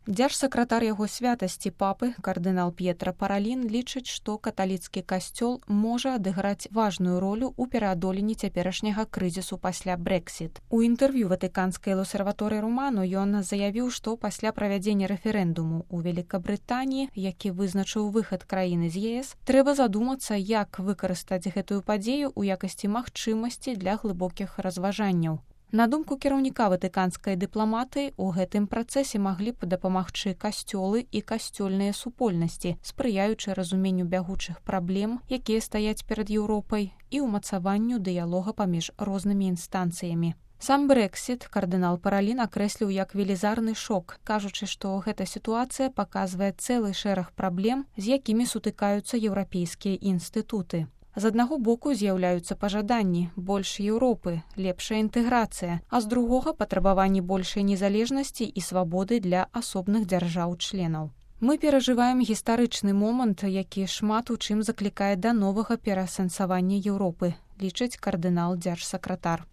Дзяржсакратар яго святасці папы, кардынал П'етра Паралін, лічыць, што каталіцкі касцёл можа адыграць важную ролю ў пераадоленні цяперашняга крызісу пасля Брэксіт. У інтэрв'ю ватыканскай Лосерваторы Романо ён заявіў, што пасля правядзення рэферэндуму ў Великабрытаніі, які вызначыў выхад краіны з ЕС, трэба задумацца, як выкарыстаць гэтую падзею ў якасці магчымасці для глыбокіх разважанняў. На думку кіраўніка ватыканскай дыпламатыі, у гэтым працэсе маглі б дапамагчы касцёлы і касцёльныя супольнасці, спрыяючы разуменню бягучых праблем, якія стаяць перад Еўропай, і ўмацаванню дыялога паміж рознымі інстанцыямі. Сам Брэксіт кардынал Паралін акрэсліў як велізарны шок, кажучы, што гэта сітуацыя паказвае цэлы шэраг праблем, з якімі сутыкаюцца еўрапейскія інстытуты. З аднаго боку з'яўляюцца пажаданні, больш Еўропы, лепшая інтэграцыя, а з другога патрабаванні большай незалежнасці і свабоды для асобных дзяржаў-членаў. Мы перажываем гістарычны момант, які шмат у чым заклікае да новага пераасэнсавання Еўропы, лічыць кардынал дзяржсакратар.